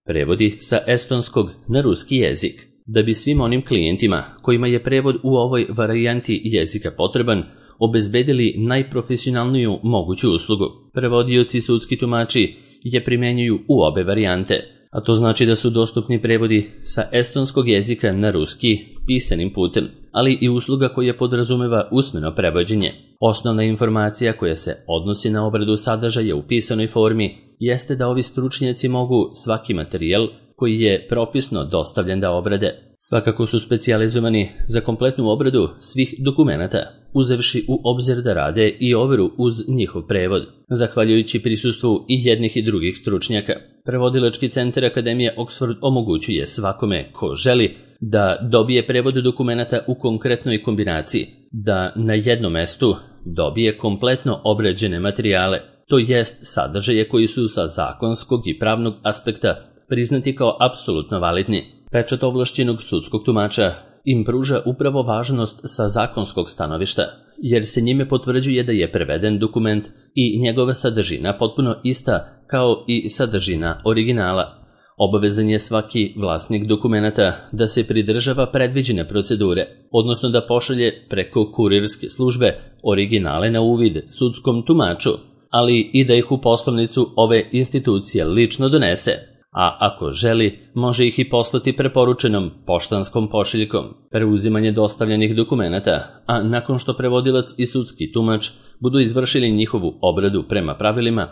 Prevodi sa estonskog na ruski jezik. Da bi svim onim klijentima kojima je prevod u ovoj varijanti jezika potreban, obezbedili najprofesionalniju moguću uslugu. Prevodioci sudski tumači je primenjuju u obe varijante, a to znači da su dostupni prevodi sa estonskog jezika na ruski pisanim putem, ali i usluga koja podrazumeva usmeno prevođenje. Osnovna informacija koja se odnosi na obradu sadržaja u pisanoj formi jeste da ovi stručnjaci mogu svaki materijal koji je propisno dostavljen da obrade. Svakako su specijalizovani za kompletnu obradu svih dokumenata, uzevši u obzir da rade i overu uz njihov prevod, zahvaljujući prisustvu i jednih i drugih stručnjaka. Prevodilački centar Akademije Oxford omogućuje svakome ko želi da dobije prevod dokumenata u konkretnoj kombinaciji, da na jednom mestu dobije kompletno obrađene materijale, to jest sadržaje koji su sa zakonskog i pravnog aspekta priznati kao apsolutno validni. Pečat ovlašćenog sudskog tumača im pruža upravo važnost sa zakonskog stanovišta, jer se njime potvrđuje da je preveden dokument i njegova sadržina potpuno ista kao i sadržina originala. Obavezan je svaki vlasnik dokumenata da se pridržava predviđene procedure, odnosno da pošalje preko kurirske službe originale na uvid sudskom tumaču, ali i da ih u poslovnicu ove institucije lično donese, a ako želi, može ih i poslati preporučenom poštanskom pošiljkom. Preuzimanje dostavljenih dokumenata, a nakon što prevodilac i sudski tumač budu izvršili njihovu obradu prema pravilima,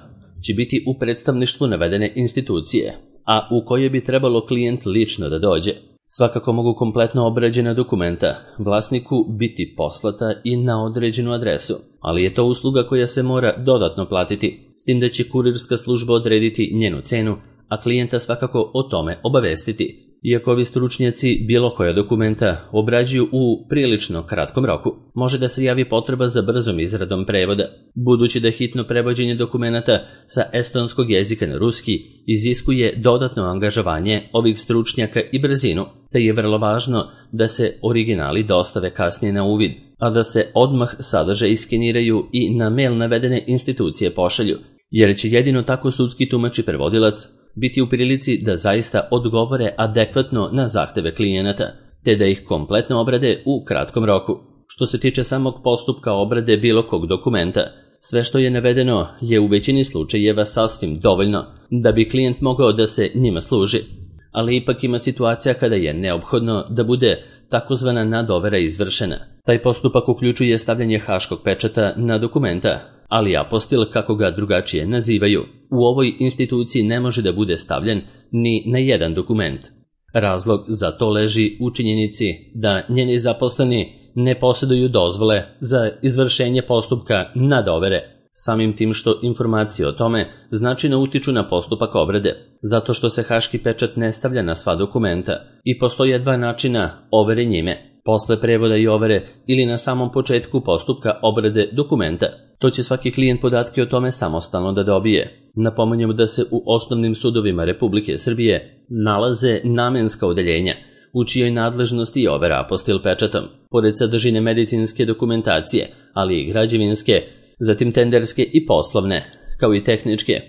će biti u predstavništvu navedene institucije, a u koje bi trebalo klijent lično da dođe. Svakako mogu kompletno obrađena dokumenta vlasniku biti poslata i na određenu adresu, ali je to usluga koja se mora dodatno platiti, s tim da će kurirska služba odrediti njenu cenu, a klijenta svakako o tome obavestiti. Iako ovi stručnjaci bilo koja dokumenta obrađuju u prilično kratkom roku, može da se javi potreba za brzom izradom prevoda. Budući da hitno prevođenje dokumenata sa estonskog jezika na ruski iziskuje dodatno angažovanje ovih stručnjaka i brzinu, te je vrlo važno da se originali dostave kasnije na uvid, a da se odmah sadržaji iskeniraju i na mail navedene institucije pošalju, jer će jedino tako sudski tumač i prevodilac biti u prilici da zaista odgovore adekvatno na zahteve klijenata, te da ih kompletno obrade u kratkom roku. Što se tiče samog postupka obrade bilo kog dokumenta, sve što je navedeno je u većini slučajeva sasvim dovoljno da bi klijent mogao da se njima služi, ali ipak ima situacija kada je neophodno da bude takozvana nadovera izvršena. Taj postupak uključuje stavljanje haškog pečata na dokumenta, ali apostil, kako ga drugačije nazivaju, u ovoj instituciji ne može da bude stavljen ni na jedan dokument. Razlog za to leži u činjenici da njeni zaposleni ne posjeduju dozvole za izvršenje postupka nadovere, samim tim što informacije o tome značajno utiču na postupak obrade, zato što se haški pečat ne stavlja na sva dokumenta i postoje dva načina overe njime: posle prevoda i overe ili na samom početku postupka obrade dokumenta. To će svaki klijent podatke o tome samostalno da dobije. Napominjemo da se u osnovnim sudovima Republike Srbije nalaze namenska odeljenja, u čijoj nadležnosti je overa apostil pečatom, pored sadržine medicinske dokumentacije, ali i građevinske, zatim tenderske i poslovne, kao i tehničke.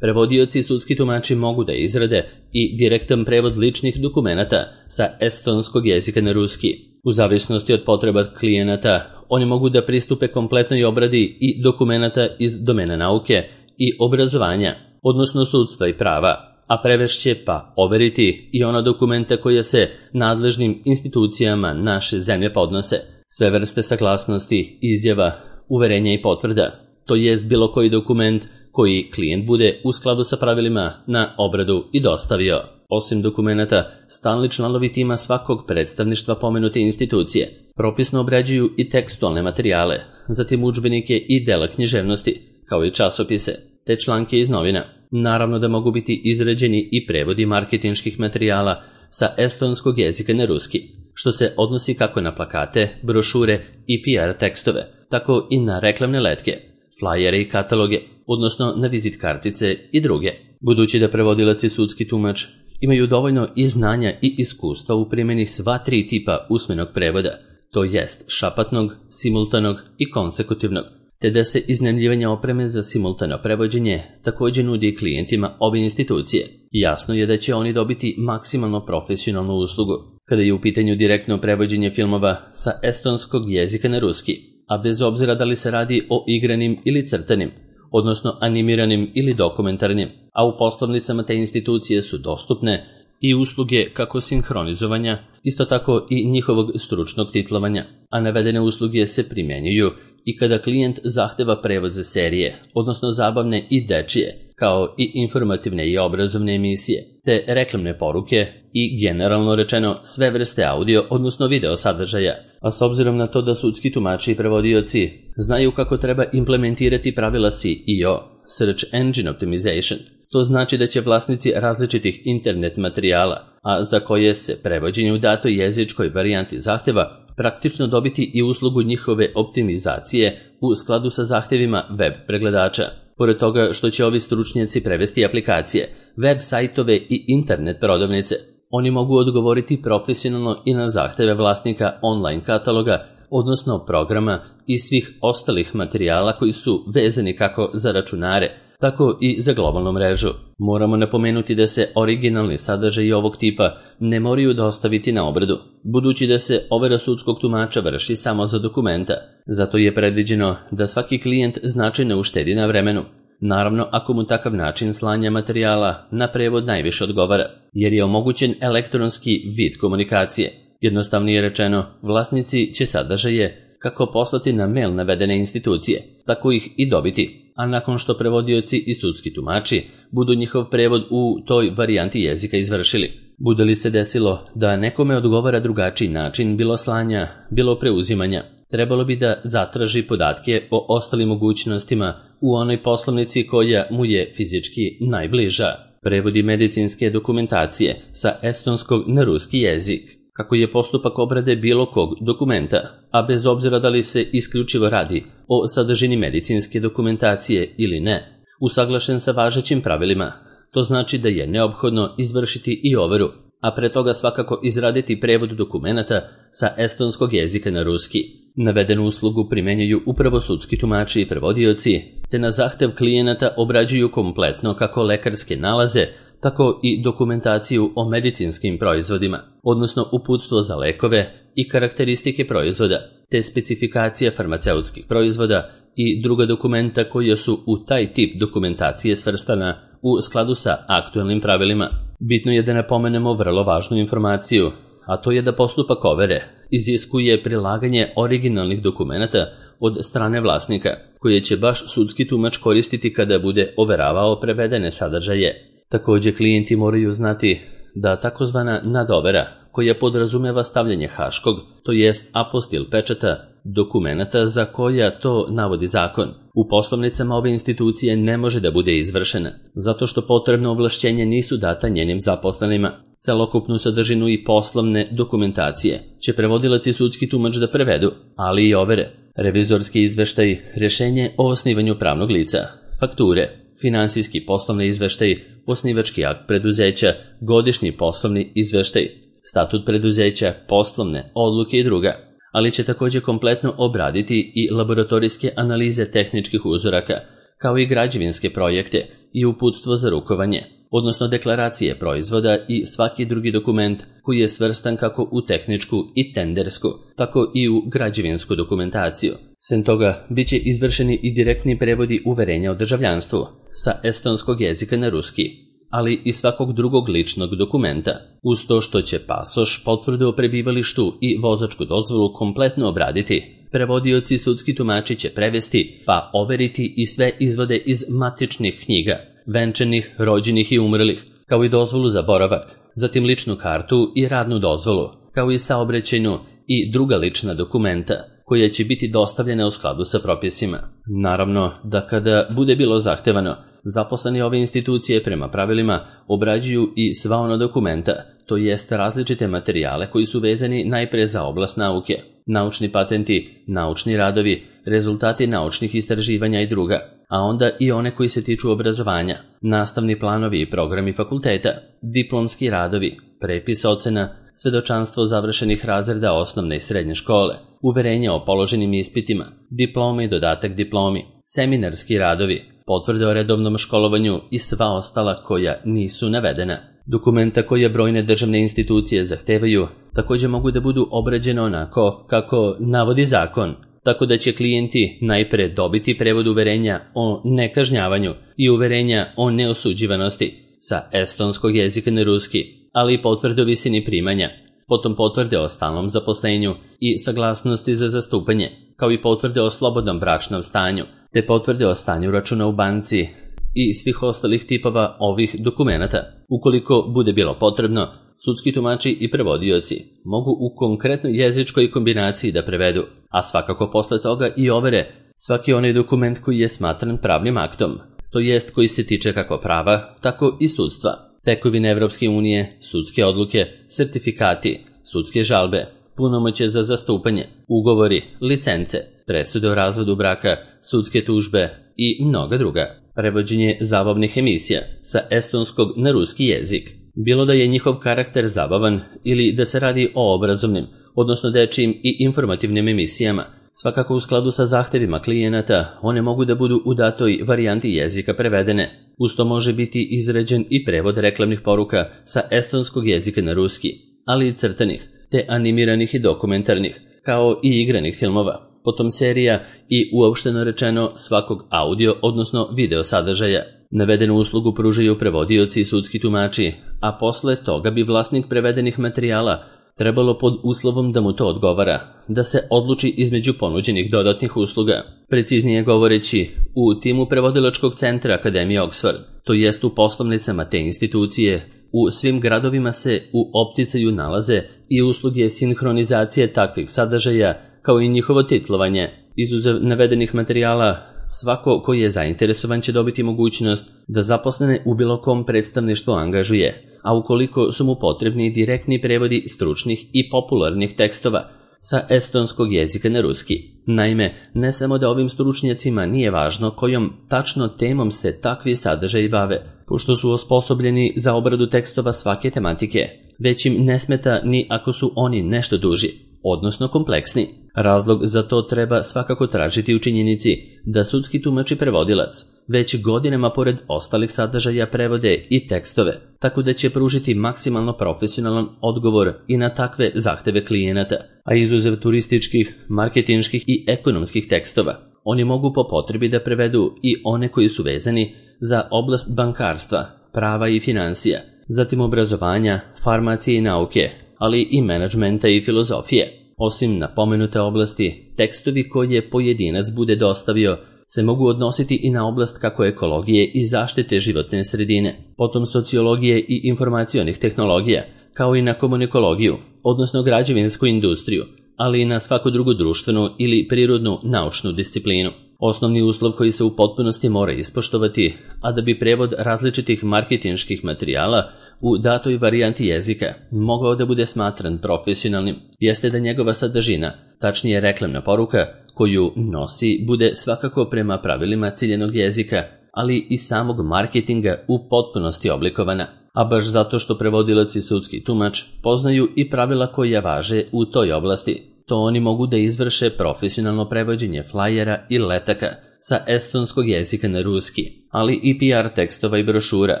Prevodioci i sudski tumači mogu da izrade i direktan prevod ličnih dokumenata sa estonskog jezika na ruski. U zavisnosti od potreba klijenata, oni mogu da pristupe kompletnoj obradi i dokumenata iz domena nauke i obrazovanja, odnosno sudstva i prava, a prevešće pa overiti i ona dokumenta koja se nadležnim institucijama naše zemlje podnose, sve vrste saglasnosti, izjava, uverenja i potvrda, to jest bilo koji dokument koji klijent bude u skladu sa pravilima na obradu i dostavio. Osim dokumenata, stalni članovi tima svakog predstavništva pomenute institucije propisno obrađuju i tekstualne materijale, zatim udžbenike i dela književnosti, kao i časopise, te članke iz novina. Naravno da mogu biti izrađeni i prevodi marketinških materijala sa estonskog jezika na ruski, što se odnosi kako na plakate, brošure i PR tekstove, tako i na reklamne letke, flajere i kataloge, odnosno na vizit kartice i druge. Budući da prevodilac i sudski tumač imaju dovoljno i znanja i iskustva u primjeni sva tri tipa usmenog prevoda, to jest šapatnog, simultanog i konsekutivnog, te da se iznajmljivanje opreme za simultano prevođenje također nudi klijentima ove institucije. Jasno je da će oni dobiti maksimalno profesionalnu uslugu kada je u pitanju direktno prevođenje filmova sa estonskog jezika na ruski, a bez obzira da li se radi o igranim ili crtanim, odnosno animiranim ili dokumentarnim, a u poslovnicama te institucije su dostupne i usluge kako sinhronizovanja, isto tako i njihovog stručnog titlovanja, a navedene usluge se primjenjuju i kada klijent zahteva prevod za serije, odnosno zabavne i dečije, kao i informativne i obrazovne emisije, te reklamne poruke i generalno rečeno sve vrste audio, odnosno video sadržaja. A s obzirom na to da sudski tumači i prevodioci znaju kako treba implementirati pravila SEO, Search Engine Optimization, to znači da će vlasnici različitih internet materijala, a za koje se prevođenje u datoj jezičkoj varijanti zahteva, praktično dobiti i uslugu njihove optimizacije u skladu sa zahtjevima web pregledača. Pored toga što će ovi stručnjaci prevesti aplikacije, web sajtove i internet prodavnice, oni mogu odgovoriti profesionalno i na zahtjeve vlasnika online kataloga, odnosno programa i svih ostalih materijala koji su vezani kako za računare, tako i za globalnu mrežu. Moramo napomenuti da se originalni sadržaji ovog tipa ne moraju dostaviti na obradu, budući da se overa sudskog tumača vrši samo za dokumenta. Zato je predviđeno da svaki klijent značajno uštedi na vremenu. Naravno, ako mu takav način slanja materijala na prevod najviše odgovara, jer je omogućen elektronski vid komunikacije. Jednostavnije rečeno, vlasnici će sadržaje kako poslati na mail navedene institucije, tako ih i dobiti, a nakon što prevodioci i sudski tumači budu njihov prevod u toj varijanti jezika izvršili. Bude li se desilo da nekome odgovara drugačiji način bilo slanja, bilo preuzimanja, trebalo bi da zatraži podatke o ostalim mogućnostima u onoj poslovnici koja mu je fizički najbliža. Prevodi medicinske dokumentacije sa estonskog na ruski jezik. Kako je postupak obrade bilo kog dokumenta, a bez obzira da li se isključivo radi o sadržini medicinske dokumentacije ili ne, usaglašen sa važećim pravilima. To znači da je neophodno izvršiti i overu, a pre toga svakako izraditi prevod dokumenata sa estonskog jezika na ruski. Navedenu uslugu primenjuju upravo sudski tumači i prevodioci, te na zahtev klijenata obrađuju kompletno kako lekarske nalaze, tako i dokumentaciju o medicinskim proizvodima, odnosno uputstvo za lekove i karakteristike proizvoda, te specifikacija farmaceutskih proizvoda i druga dokumenta koja su u taj tip dokumentacije svrstana u skladu sa aktualnim pravilima. Bitno je da napomenemo vrlo važnu informaciju, a to je da postupak overe iziskuje prilaganje originalnih dokumenata od strane vlasnika, koje će baš sudski tumač koristiti kada bude overavao prevedene sadržaje. Također klijenti moraju znati da takozvana nadovera, koja podrazumeva stavljanje haškog, to jest apostil pečata, dokumenata za koja to navodi zakon, u poslovnicama ove institucije ne može da bude izvršena, zato što potrebno ovlašćenje nisu data njenim zaposlenima. Celokupnu sadržinu i poslovne dokumentacije će prevodilac i sudski tumač da prevedu, ali i overe, revizorski izveštaj, rješenje o osnivanju pravnog lica, fakture, finansijski poslovni izveštaj, osnivački akt preduzeća, godišnji poslovni izveštaj, statut preduzeća, poslovne odluke i druga, ali će također kompletno obraditi i laboratorijske analize tehničkih uzoraka, kao i građevinske projekte i uputstvo za rukovanje, odnosno deklaracije proizvoda i svaki drugi dokument koji je svrstan kako u tehničku i tendersku, tako i u građevinsku dokumentaciju. Sem toga, bit će izvršeni i direktni prevodi uverenja o državljanstvu sa estonskog jezika na ruski, ali i svakog drugog ličnog dokumenta, uz to što će pasoš, potvrdu o prebivalištu i vozačku dozvolu kompletno obraditi. Prevodioci i sudski tumači će prevesti pa overiti i sve izvode iz matičnih knjiga, venčanih, rođenih i umrlih, kao i dozvolu za boravak, zatim ličnu kartu i radnu dozvolu, kao i saobraćajnu i druga lična dokumenta, koja će biti dostavljena u skladu sa propisima. Naravno da kada bude bilo zahtevano, zaposleni ove institucije prema pravilima obrađuju i sva ona dokumenta, to jest različite materijale koji su vezani najpre za oblast nauke, naučni patenti, naučni radovi, rezultati naučnih istraživanja i druga, a onda i one koji se tiču obrazovanja, nastavni planovi i programi fakulteta, diplomski radovi, prepis ocena, svedočanstvo završenih razreda osnovne i srednje škole, uverenja o položenim ispitima, diplome i dodatak diplomi, seminarski radovi, potvrde o redovnom školovanju i sva ostala koja nisu navedena. Dokumenta koje brojne državne institucije zahtevaju također mogu da budu obrađene onako kako navodi zakon, tako da će klijenti najpre dobiti prevod uverenja o nekažnjavanju i uverenja o neosuđivanosti sa estonskog jezika na ruski, ali i potvrde o visini primanja, potom potvrde o stalnom zaposlenju i saglasnosti za zastupanje, kao i potvrde o slobodnom bračnom stanju, te potvrde o stanju računa u banci i svih ostalih tipova ovih dokumenata. Ukoliko bude bilo potrebno, sudski tumači i prevodioci mogu u konkretnoj jezičkoj kombinaciji da prevedu, a svakako posle toga i overe svaki onaj dokument koji je smatran pravnim aktom, to jest koji se tiče kako prava, tako i sudstva. Tekovine Evropske unije, sudske odluke, sertifikati, sudske žalbe, punomoćje za zastupanje, ugovori, licence, presude o razvodu braka, sudske tužbe i mnoga druga. Prevođenje zabavnih emisija sa estonskog na ruski jezik. Bilo da je njihov karakter zabavan ili da se radi o obrazovnim, odnosno dečijim i informativnim emisijama, svakako u skladu sa zahtevima klijenata, one mogu da budu u datoj varijanti jezika prevedene. Uz to može biti izrađen i prevod reklamnih poruka sa estonskog jezika na ruski, ali i crtanih, te animiranih i dokumentarnih, kao i igranih filmova, potom serija i uopšteno rečeno svakog audio, odnosno video sadržaja. Navedenu uslugu pružaju prevodioci i sudski tumači, a posle toga bi vlasnik prevedenih materijala trebalo pod uslovom da mu to odgovara, da se odluči između ponuđenih dodatnih usluga. Preciznije govoreći, u timu prevodilačkog centra Akademije Oxford, to jest u poslovnicama te institucije, u svim gradovima se u opticaju nalaze i usluge sinhronizacije takvih sadržaja, kao i njihovo titlovanje. Izuzev navedenih materijala, svako koji je zainteresovan će dobiti mogućnost da zaposlene u bilo kom predstavništvu angažuje, a ukoliko su mu potrebni direktni prevodi stručnih i popularnih tekstova sa estonskog jezika na ruski. Naime, ne samo da ovim stručnjacima nije važno kojom tačno temom se takvi sadržaji bave, pošto su osposobljeni za obradu tekstova svake tematike, već im ne smeta ni ako su oni nešto duži, odnosno kompleksni. Razlog za to treba svakako tražiti u činjenici da sudski tumač i prevodilac već godinama pored ostalih sadržaja prevode i tekstove, tako da će pružiti maksimalno profesionalan odgovor i na takve zahteve klijenata, a izuzev turističkih, marketinških i ekonomskih tekstova, oni mogu po potrebi da prevedu i one koji su vezani za oblast bankarstva, prava i financija, zatim obrazovanja, farmacije i nauke, ali i menadžmenta i filozofije. Osim napomenute oblasti, tekstovi koje pojedinac bude dostavio se mogu odnositi i na oblast kako ekologije i zaštite životne sredine, potom sociologije i informacionih tehnologija, kao i na komunikologiju, odnosno građevinsku industriju, ali i na svaku drugu društvenu ili prirodnu naučnu disciplinu. Osnovni uslov koji se u potpunosti mora ispoštovati, a da bi prevod različitih marketinških materijala u datoj varijanti jezika mogao da bude smatran profesionalnim, jeste da njegova sadržina, tačnije reklamna poruka koju nosi, bude svakako prema pravilima ciljenog jezika, ali i samog marketinga u potpunosti oblikovana. A baš zato što prevodilac i sudski tumač poznaju i pravila koja važe u toj oblasti, to oni mogu da izvrše profesionalno prevođenje flajera i letaka sa estonskog jezika na ruski, ali i PR tekstova i brošura,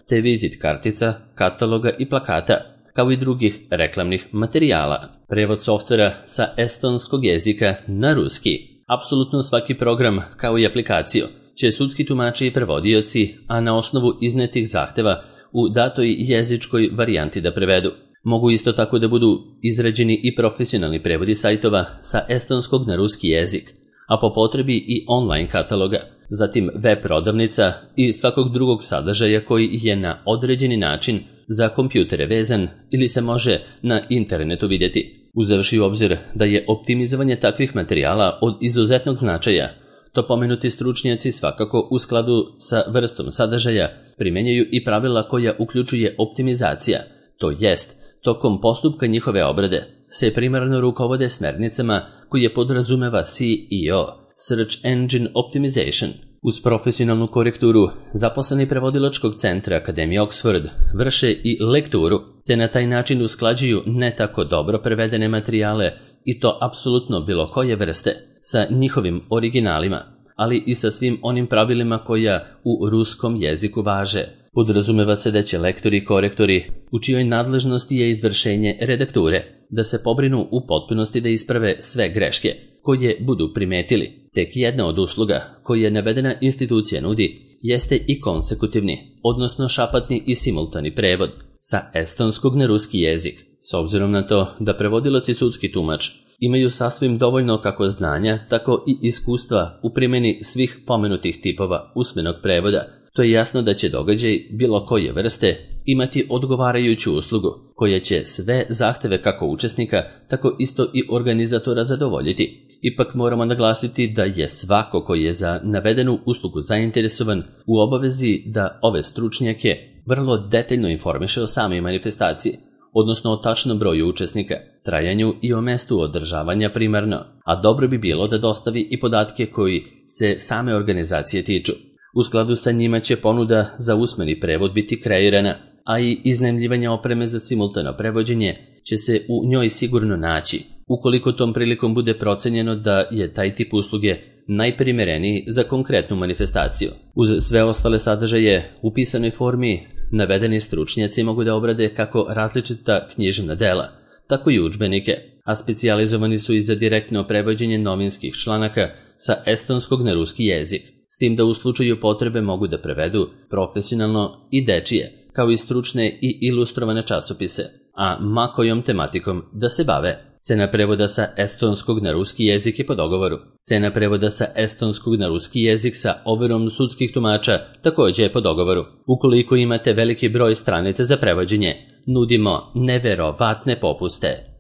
te vizit kartica, kataloga i plakata, kao i drugih reklamnih materijala. Prevod softvera sa estonskog jezika na ruski. Apsolutno svaki program, kao i aplikaciju, će sudski tumači i prevodioci, a na osnovu iznetih zahteva u datoj jezičkoj varijanti da prevedu. Mogu isto tako da budu izrađeni i profesionalni prevodi sajtova sa estonskog na ruski jezik, a po potrebi i online kataloga, zatim web prodavnica i svakog drugog sadržaja koji je na određeni način za kompjutere vezan ili se može na internetu vidjeti. Uzevši u obzir da je optimizovanje takvih materijala od izuzetnog značaja, to pomenuti stručnjaci svakako u skladu sa vrstom sadržaja primjenjuju i pravila koja uključuje optimizacija, to jest tokom postupka njihove obrade se primarno rukovode smernicama koje podrazumeva SEO, Search Engine Optimization. Uz profesionalnu korekturu, zaposleni prevodilačkog centra Akademije Oxford vrše i lekturu, te na taj način usklađuju ne tako dobro prevedene materijale, i to apsolutno bilo koje vrste, sa njihovim originalima, ali i sa svim onim pravilima koja u ruskom jeziku važe. Podrazumeva se da će lektori i korektori, u čijoj nadležnosti je izvršenje redakture, da se pobrinu u potpunosti da isprave sve greške koje budu primetili. Tek jedna od usluga koje navedena institucija nudi jeste i konsekutivni, odnosno šapatni i simultani prevod sa estonskog na ruski jezik, s obzirom na to da prevodilac i sudski tumač imaju sasvim dovoljno kako znanja, tako i iskustva u primjeni svih pomenutih tipova usmenog prevoda. To je jasno da će događaj bilo koje vrste imati odgovarajuću uslugu koja će sve zahteve kako učesnika, tako isto i organizatora zadovoljiti. Ipak moramo naglasiti da je svako koji je za navedenu uslugu zainteresovan u obavezi da ove stručnjake vrlo detaljno informiše o samoj manifestaciji, odnosno o tačnom broju učesnika, trajanju i o mestu održavanja primarno, a dobro bi bilo da dostavi i podatke koji se same organizacije tiču. U skladu sa njima će ponuda za usmeni prevod biti kreirana, a i iznajmljivanje opreme za simultano prevođenje će se u njoj sigurno naći, ukoliko tom prilikom bude procenjeno da je taj tip usluge najprimereniji za konkretnu manifestaciju. Uz sve ostale sadržaje u pisanoj formi, navedeni stručnjaci mogu da obrade kako različita književna dela, tako i udžbenike, a specijalizovani su i za direktno prevođenje novinskih članaka sa estonskog na ruski jezik, s tim da u slučaju potrebe mogu da prevedu profesionalno i dečije, kao i stručne i ilustrovane časopise, a ma kojom tematikom da se bave. Cena prevoda sa estonskog na ruski jezik je po dogovoru. Cena prevoda sa estonskog na ruski jezik sa overom sudskih tumača također je po dogovoru. Ukoliko imate veliki broj stranica za prevođenje, nudimo neverovatne popuste.